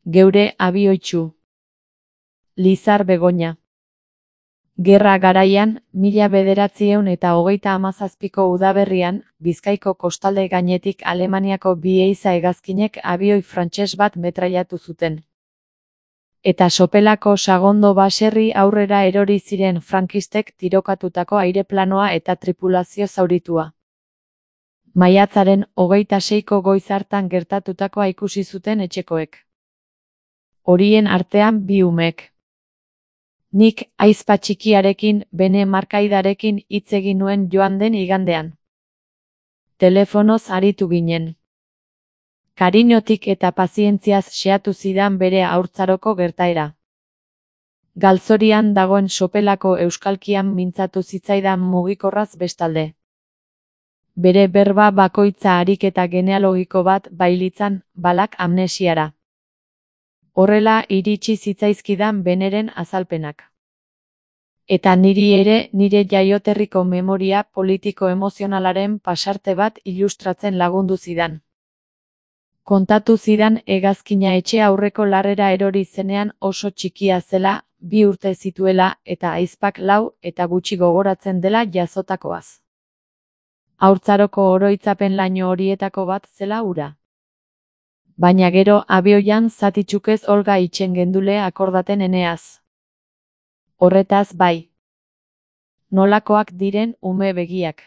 Geure abioitzu. Lizar Begoña. Gerra garaian, 1937ko udaberrian, Bizkaiko kostalde gainetik Alemaniako bi ehiza hegazkinek abioi frantses bat metrailatu zuten. Eta sopelako Sagondo baserri aurrera erori ziren frankistek tirokatutako aireplanoa eta tripulazio zauritua. Maiatzaren 26ko goiz hartan gertatutakoa ikusi zuten etxekoek. Horien artean bi umek. Nik ahizpa txikiarekin, bene markaidarekin hitz egin nuen joan den igandean. Telefonoz aritu ginen. Kariñotik eta pazientziaz xeatu zidan bere haurtzaroko gertaera. Galzorian dagoen sopelako euskalkian mintzatu zitzaidan mugikorraz bestalde. Bere berba bakoitza ariketa genealogiko bat bailitzan, balak amnesiara. Horrela iritsi zitzaizkidan beneren azalpenak. Eta niri ere nire jaioterriko memoria politiko-emozionalaren pasarte bat ilustratzen lagundu zidan. Kontatu zidan hegazkina etxe aurreko larrera erori zenean oso txikia zela, 2 urte zituela eta ahizpak 4 eta gutxi gogoratzen dela jazotakoaz. Haurtzaroko oroitzapen laino horietako bat zela hura. Baina gero abioian zatitxukez Olga itxen gendule akordaten eneaz. Horretaz bai. Nolakoak diren ume begiak.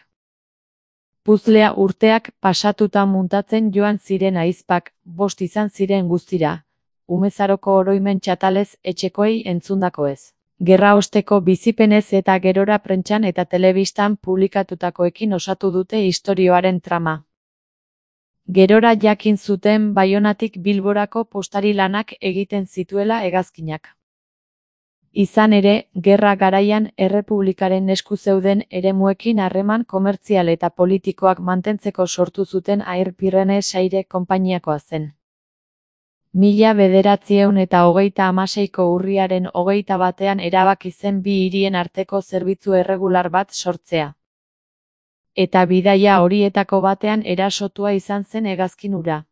Puzlea urteak pasatuta muntatzen joan ziren ahizpak, 5 izan ziren guztira. Umezaroko oroimen txatalez etxekoei entzundakoez. Gerra osteko bizipenez eta gerora prentsan eta telebistan publikatutakoekin osatu dute istorioaren trama. Gerora jakin zuten Baionatik Bilborako postari lanak egiten zituela hegazkinak. Izan ere, gerra garaian errepublikaren esku zeuden eremuekin harreman komertzial eta politikoak mantentzeko sortu zuten Air Pyrenees Aire konpainiakoa zen. 1936ko urriaren 21ean erabaki zen bi hirien arteko zerbitzu erregular bat sortzea. Eta bidaia horietako batean erasotua izan zen hegazkin hura.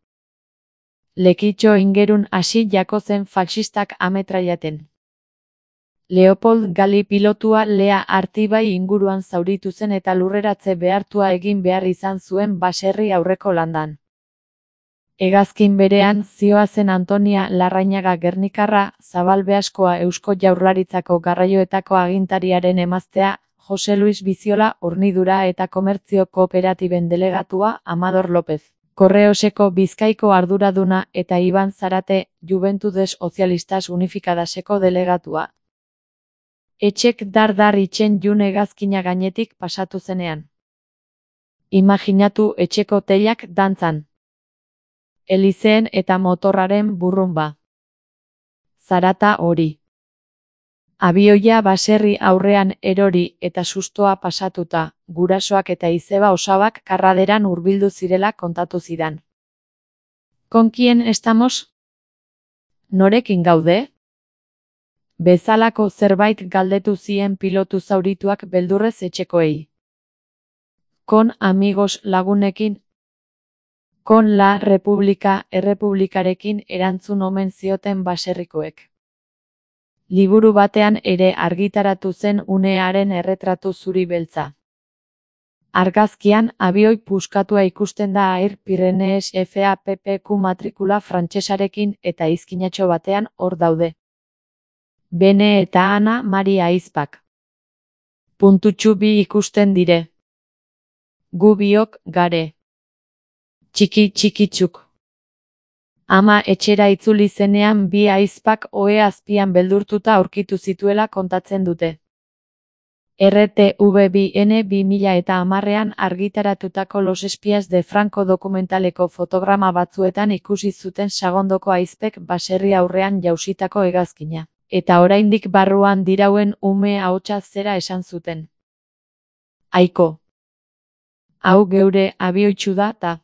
Lekitxo ingerun hasi jako zen faxistak ametrailaten. Leopold Gali pilotua Lea Artibai inguruan zauritu zen eta lurreratze behartua egin behar izan zuen baserri aurreko landan. Hegazkin berean zihoazen Antonia Larrañaga Gernikarra, Zabalbeaskoa Eusko Jaurlaritzako garraioetako agintariaren emaztea, Jose Luis Biziola Hornidura eta Komertzio Kooperatiben delegatua Amador López, Korreoseko Bizkaiko arduraduna eta Iban Zarate, Juventudes Socialistas Unificadaseko delegatua. Etxek dar itxen jun hegazkina gainetik pasatu zenean. Imaginatu etxeko teilak dantzan. Elizeen eta motorraren burrunba. Zarata hori. Abioia baserri aurrean erori eta sustoa pasatuta, gurasoak eta izeba osabak karraderan hurbildu zirela kontatu zidan. ¿Con quién estamos? Norekin gaude? Bezalako zerbait galdetu zien pilotu zaurituak beldurrez etxekoei. Con amigos lagunekin. Con la República errepublikarekin erantzun omen zioten baserrikoek. Liburu batean ere argitaratu zen unearen erretratu zuri beltza. Argazkian abioi puskatua ikusten da Air Pyrenees FAPPQ matrikula frantsesarekin eta izkinatxo batean hor daude. Bene eta Ana Maria ahizpak. Puntutxu bi ikusten dire. Gu biok gare. Txiki-txikitxuk. Ama etxera itzuli zenean bi ahizpak ohe azpian beldurtuta aurkitu zituela kontatzen dute. RTV2N 2010ean argitaratutako Los Espías de Franco dokumentaleko fotograma batzuetan ikusi zuten Sagondoko ahizpek baserri aurrean jausitako hegazkina. Eta oraindik barruan dirauen ume ahotsa zera esan zuten. Aiko. Hau geure abioitzu da ta.